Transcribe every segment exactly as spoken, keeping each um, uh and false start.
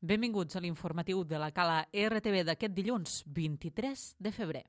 Benvinguts a l'informatiu de la Cala R T V d'aquest dilluns, vint-i-tres de febrer.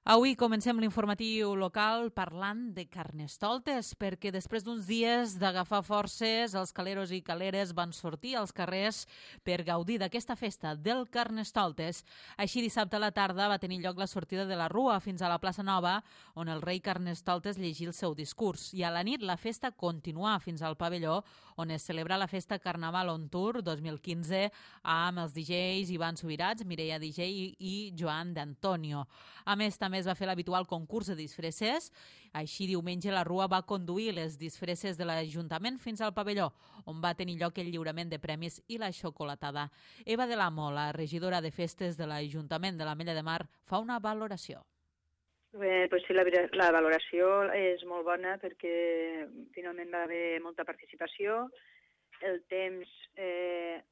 Avui comencem l'informatiu local parlant de Carnestoltes, perquè després d'uns dies d'agafar forces, els caleros i caleres van sortir als carrers per gaudir d'aquesta festa del Carnestoltes. Així, dissabte a la tarda va tenir lloc la sortida de la Rua fins a la plaça Nova, on el rei Carnestoltes llegí el seu discurs. I a la nit la festa continuà fins al pavelló, on es celebra la festa Carnaval on Tour dos mil quinze amb els D Js Ivan Subirats, Mireia D J i Joan d'Antonio. A més, també es va fer l'habitual concurs de disfresses. Així, diumenge, la Rua va conduir les disfresses de l'Ajuntament fins al pavelló, on va tenir lloc el lliurament de premis i la xocolatada. Eva de l'Amo, la regidora de festes de l'Ajuntament de l'Ametlla de Mar, fa una valoració. Bé, pues sí, la, la valoració és molt bona perquè finalment va haver molta participació. El temps... Eh,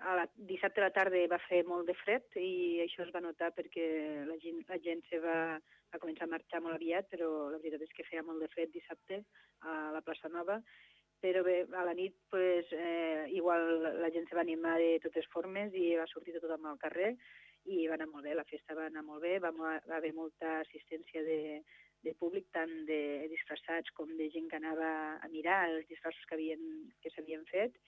a la, dissabte a la tarda va fer molt de fred i això es va notar perquè la gent, la gent se va, va començar a marxar molt aviat, però la veritat és que feia molt de fred dissabte a la plaça Nova. Però bé, a la nit pues, eh, igual la gent se va animar de totes formes i va sortir tothom al carrer i va anar molt bé, la festa va anar molt bé, va, va haver molta assistència de, de públic, tant de disfressats com de gent que anava a mirar els disfressos que havien, que s'havien fet.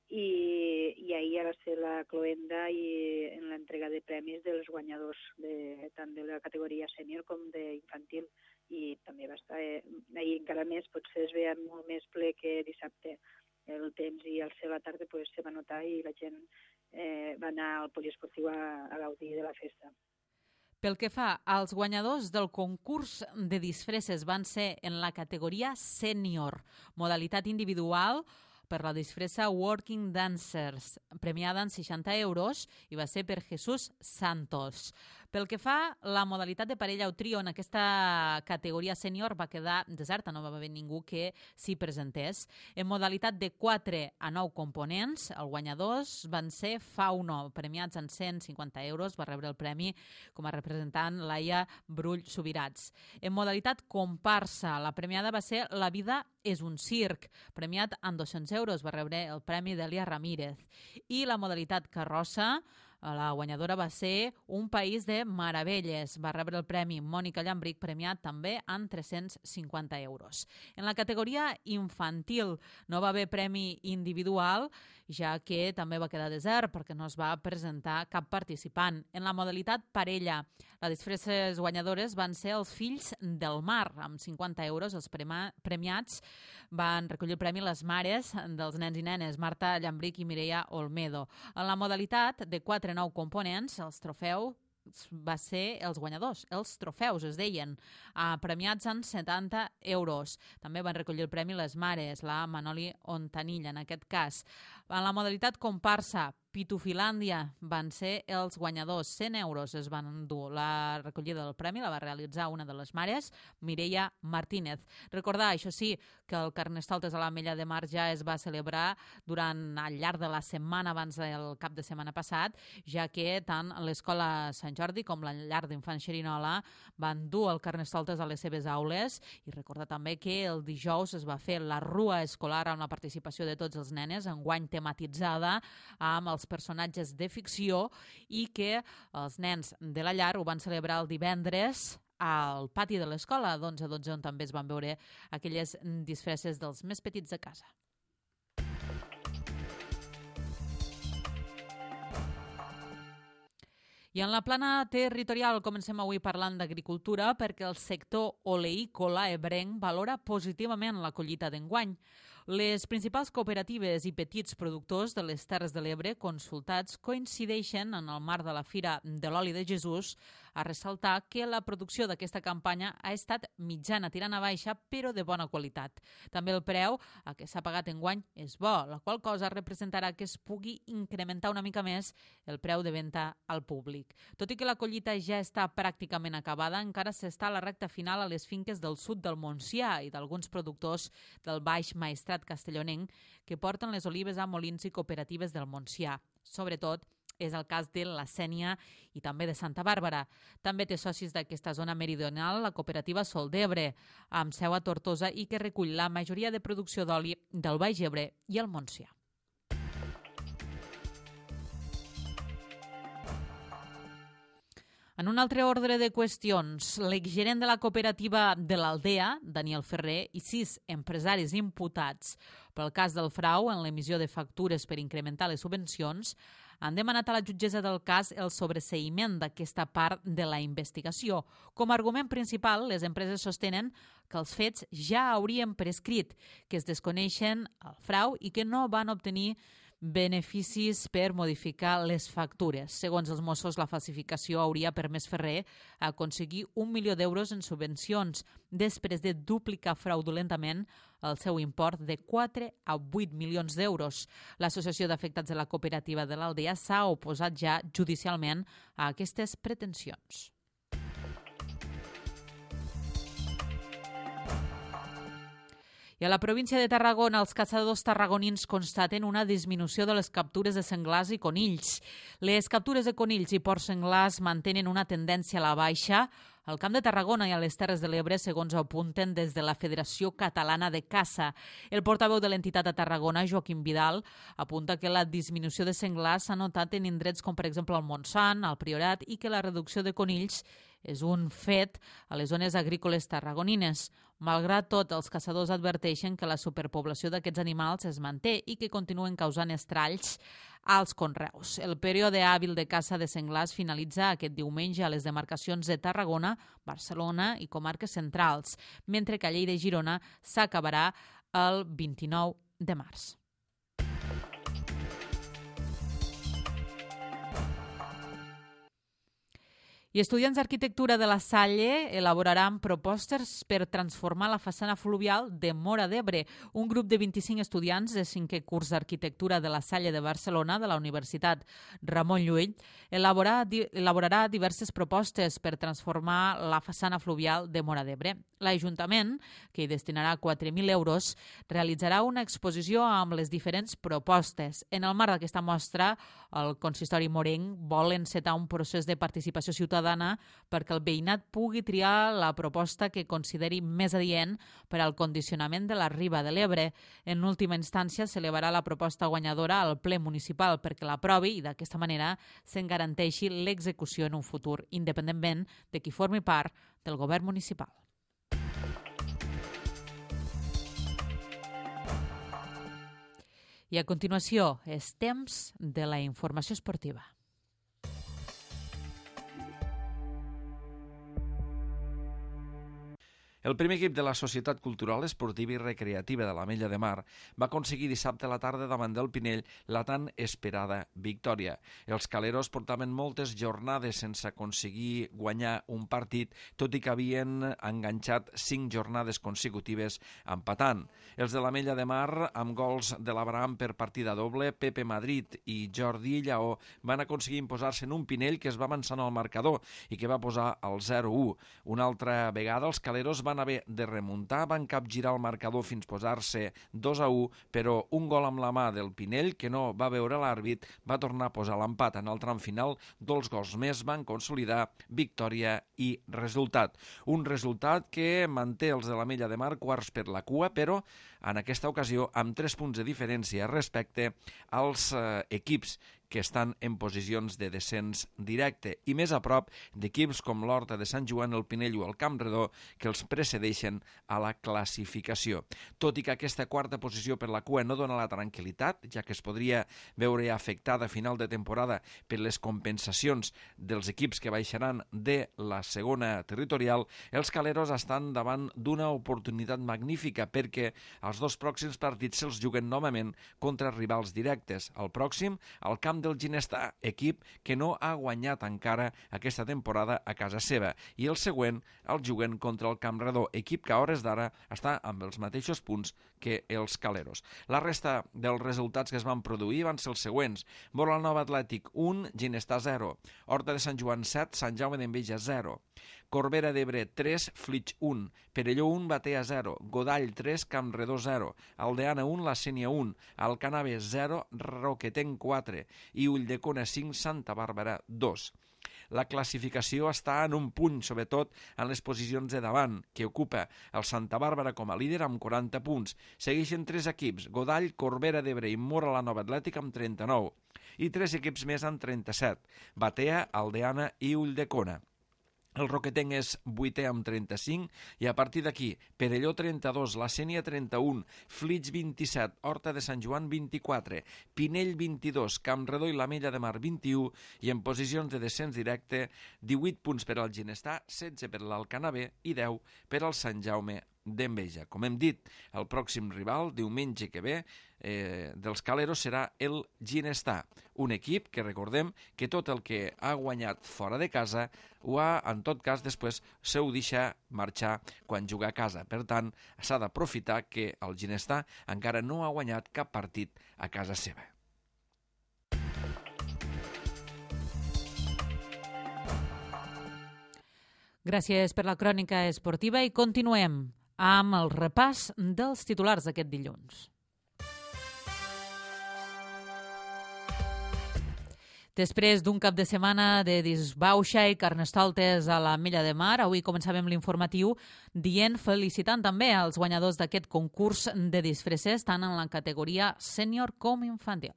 I, i ahir va ser la cloenda i en l'entrega de premis dels guanyadors, de, tant de la categoria sènior com d'infantil. I també va estar, eh, ahir encara més, potser es veia molt més ple que dissabte. El temps i el cel a la tarda pues, se va notar i la gent eh, va anar al poliesportiu a, a gaudir de la festa. Pel que fa als guanyadors del concurs de disfresses van ser en la categoria sènior, modalitat individual, per la disfressa Working Dancers, premiada en seixanta euros, i va ser per Jesús Santos. Pel que fa la modalitat de parella o trio, en aquesta categoria sènior va quedar deserta, no va haver ningú que s'hi presentés. En modalitat de quatre a nou components, els guanyadors van ser Fauno, premiats en cent cinquanta euros, va rebre el premi com a representant Laia Brull Subirats. En modalitat comparsa, la premiada va ser La vida és un circ, premiat en dos-cents euros, va rebre el premi d'Elia Ramírez. I la modalitat carrossa, la guanyadora va ser Un país de meravelles, va rebre el premi Mònica Llambric, premiat també en tres-cents cinquanta euros. En la categoria infantil no va haver premi individual, ja que també va quedar desert perquè no es va presentar cap participant. En la modalitat parella, les disfresses guanyadores van ser els Fills del Mar, amb cinquanta euros. Els premiats van recollir el premi les mares dels nens i nenes, Marta Llambric i Mireia Olmedo. En la modalitat de quatre a nou components, els trofeus va ser els guanyadors, els trofeus es deien, premiats en setanta euros. També van recollir el premi les mares, la Manoli Ontanilla en aquest cas. En la modalitat comparsa, Pitufilàndia van ser els guanyadors, cent euros es van endur. La recollida del premi la va realitzar una de les mares, Mireia Martínez. Recordar, això sí, que el Carnestoltes a l'Ametlla de Mar ja es va celebrar durant al llarg de la setmana abans del cap de setmana passat, ja que tant l'Escola Sant Jordi com la llar d'infants Xerinola van dur el Carnestoltes a les seves aules. I recordar també que el dijous es va fer la Rua escolar amb la participació de tots els nenes, enguany tematitzada amb els personatges de ficció, i que els nens de la llar ho van celebrar el divendres al pati de l'escola d'onze a dotze, on també es van veure aquelles disfresses dels més petits de casa. I en la plana territorial comencem avui parlant d'agricultura perquè el sector oleícola ebrenc valora positivament la collita d'enguany. Les principals cooperatives i petits productors de les Terres de l'Ebre consultats coincideixen en el marc de la Fira de l'Oli de Jesús a ressaltar que la producció d'aquesta campanya ha estat mitjana tirant a baixa, però de bona qualitat. També el preu a què s'ha pagat enguany és bo, la qual cosa representarà que es pugui incrementar una mica més el preu de venda al públic. Tot i que la collita ja està pràcticament acabada, encara s'està a la recta final a les finques del sud del Montsià i d'alguns productors del Baix Maestrat castellonenc que porten les olives a molins i cooperatives del Montsià, sobretot És el cas de la Sénia i també de Santa Bàrbara. També té socis d'aquesta zona meridional la cooperativa Sol d'Ebre, amb seu a Tortosa i que recull la majoria de producció d'oli del Baix Ebre i el Montsià. En un altre ordre de qüestions, l'exgerent de la cooperativa de l'Aldea, Daniel Ferrer, i sis empresaris imputats pel cas del frau en l'emissió de factures per incrementar les subvencions han demanat a la jutgessa del cas el sobreseïment d'aquesta part de la investigació. Com a argument principal, les empreses sostenen que els fets ja haurien prescrit, que es desconeixen el frau i que no van obtenir beneficis per modificar les factures. Segons els Mossos, la falsificació hauria permès Ferrer aconseguir un milió d'euros en subvencions després de duplicar fraudulentament el seu import de quatre a vuit milions d'euros. L'Associació d'Afectats de la Cooperativa de l'Aldea s'ha oposat ja judicialment a aquestes pretensions. I a la província de Tarragona, els caçadors tarragonins constaten una disminució de les captures de senglars i conills. Les captures de conills i porcs senglars mantenen una tendència a la baixa al Camp de Tarragona i a les Terres de l'Ebre, segons apunten des de la Federació Catalana de Caça. El portaveu de l'entitat a Tarragona, Joaquim Vidal, apunta que la disminució de senglars s'ha notat en indrets com, per exemple, el Montsant, el Priorat, i que la reducció de conills és un fet a les zones agrícoles tarragonines. Malgrat tot, els caçadors adverteixen que la superpoblació d'aquests animals es manté i que continuen causant estralls als conreus. El període hàbil de caça de senglars finalitza aquest diumenge a les demarcacions de Tarragona, Barcelona i comarques centrals, mentre que a Lleida i Girona s'acabarà el vint-i-nou de març. I estudiants d'arquitectura de la Salle elaboraran propostes per transformar la façana fluvial de Móra d'Ebre. Un grup de vint-i-cinc estudiants de cinquè curs d'arquitectura de la Salle de Barcelona, de la Universitat Ramon Llull, elaborarà diverses propostes per transformar la façana fluvial de Móra d'Ebre. L'Ajuntament, que hi destinarà quatre mil euros, realitzarà una exposició amb les diferents propostes. En el marc d'aquesta mostra, el consistori morenc vol encetar un procés de participació ciutadana perquè el veïnat pugui triar la proposta que consideri més adient per al condicionament de la riba de l'Ebre. En última instància, s'elevarà la proposta guanyadora al ple municipal perquè l'aprovi i d'aquesta manera se'n garanteixi l'execució en un futur, independentment de qui formi part del govern municipal. I a continuació, és temps de la informació esportiva. El primer equip de la Societat Cultural, Esportiva i Recreativa de l'Ametlla de Mar va aconseguir dissabte a la tarda davant del Pinell la tan esperada victòria. Els caleros portaven moltes jornades sense aconseguir guanyar un partit, tot i que havien enganxat cinc jornades consecutives empatant. Els de l'Ametlla de Mar, amb gols de l'Abraham per partida doble, Pepe Madrid i Jordi Lleó van aconseguir imposar-se en un Pinell que es va avançant al marcador i que va posar el zero a u. Una altra vegada els caleros van haver de remuntar, van capgirar el marcador fins posar-se dos a u, però un gol amb la mà del Pinell, que no va veure l'àrbit, va tornar a posar l'empat. En el tram final, dos gols més van consolidar victòria i resultat. Un resultat que manté els de l'Ametlla de Mar quarts per la cua, però en aquesta ocasió amb tres punts de diferència respecte als eh, equips que estan en posicions de descens directe i més a prop d'equips com l'Horta de Sant Joan, el Pinell o el Campredó, que els precedeixen a la classificació. Tot i que aquesta quarta posició per la cua no dona la tranquil·litat, ja que es podria veure afectada a final de temporada per les compensacions dels equips que baixaran de la segona territorial, els caleros estan davant d'una oportunitat magnífica perquè els dos pròxims partits se'ls juguen novament contra rivals directes. El pròxim, al camp del Ginestà, equip que no ha guanyat encara aquesta temporada a casa seva, i el següent el juguen contra el Campredó, equip que a hores d'ara està amb els mateixos punts que els caleros. La resta dels resultats que es van produir van ser els següents: Molanova Atlètic un, Ginestà zero, Horta de Sant Joan set, Sant Jaume d'Enveja zero, Corbera d'Ebre tres, Flix un, Perelló un, Batea zero, Godall tres, Campredó zero, Aldeana un, La Sénia un, Alcanave zero, Roquetenc quatre i Ulldecona cinc, Santa Bàrbara dos. La classificació està en un punt, sobretot en les posicions de davant, que ocupa el Santa Bàrbara com a líder amb quaranta punts. Segueixen tres equips, Godall, Corbera d'Ebre i Móra la Nova Atlètica amb trenta-nou, i tres equips més amb trenta-set, Batea, Aldeana i Ulldecona. El Roquetenc és vuitè amb trenta-cinc i a partir d'aquí Perelló trenta-dos, La Sénia trenta-un, Flix vint-i-set, Horta de Sant Joan vint-i-quatre, Pinell vint-i-dos, Campredó i l'Ametlla de Mar vint-i-u i en posicions de descens directe divuit punts per al Ginestar, setze per l'Alcanavè i deu per al Sant Jaume d'Enveja. Com hem dit, el pròxim rival, diumenge que ve, eh, dels Caleros serà el Ginestar, un equip que recordem que tot el que ha guanyat fora de casa ho ha, en tot cas, després se ho deixa marxar quan juga a casa. Per tant, s'ha d'aprofitar que el Ginestar encara no ha guanyat cap partit a casa seva. Gràcies per la crònica esportiva i continuem amb el repàs dels titulars d'aquest dilluns. Després d'un cap de setmana de disbauxa i carnestoltes a l'Ametlla de Mar, avui començàvem l'informatiu dient, felicitant també als guanyadors d'aquest concurs de disfresses, tant en la categoria sènior com infantil.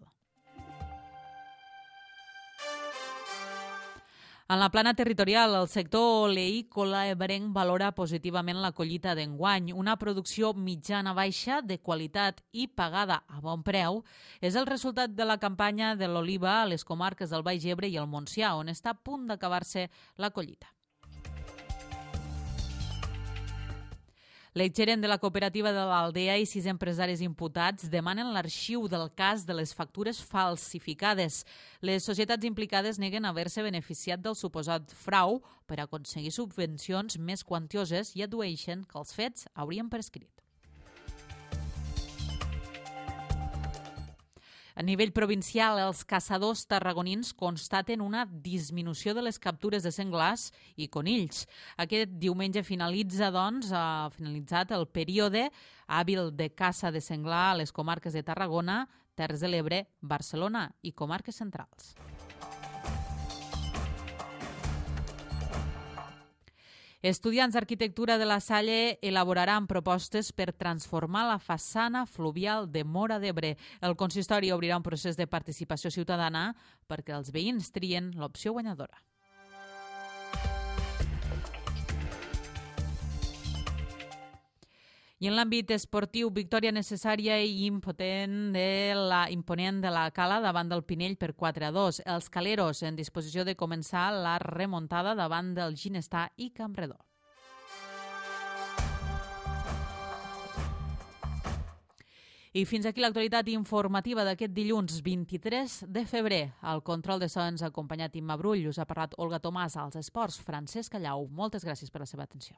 En la plana territorial, el sector oleícola ebrenc valora positivament la collita d'enguany. Una producció mitjana-baixa de qualitat i pagada a bon preu és el resultat de la campanya de l'oliva a les comarques del Baix Ebre i el Montsià, on està a punt d'acabar-se la collita. L'exgerent de la cooperativa de l'Aldea i sis empresaris imputats demanen l'arxiu del cas de les factures falsificades. Les societats implicades neguen haver-se beneficiat del suposat frau per aconseguir subvencions més quantioses i addueixen que els fets haurien prescrit. A nivell provincial, els caçadors tarragonins constaten una disminució de les captures de senglars i conills. Aquest diumenge finalitza, doncs, ha finalitzat el període hàbil de caça de senglar a les comarques de Tarragona, Terres de l'Ebre, Barcelona i comarques centrals. Estudiants d'Arquitectura de la Salle elaboraran propostes per transformar la façana fluvial de Móra d'Ebre. El consistori obrirà un procés de participació ciutadana perquè els veïns trien l'opció guanyadora. I en l'àmbit esportiu, victòria necessària i impotent de la, imponent de la Cala davant del Pinell per quatre a dos. Els caleros en disposició de començar la remuntada davant del Ginestar i Campredó. I fins aquí l'actualitat informativa d'aquest dilluns vint-i-tres de febrer. Al control de so ens ha acompanyat Imma Brull, us ha parlat Olga Tomàs, als esports Francesc Callau. Moltes gràcies per la seva atenció.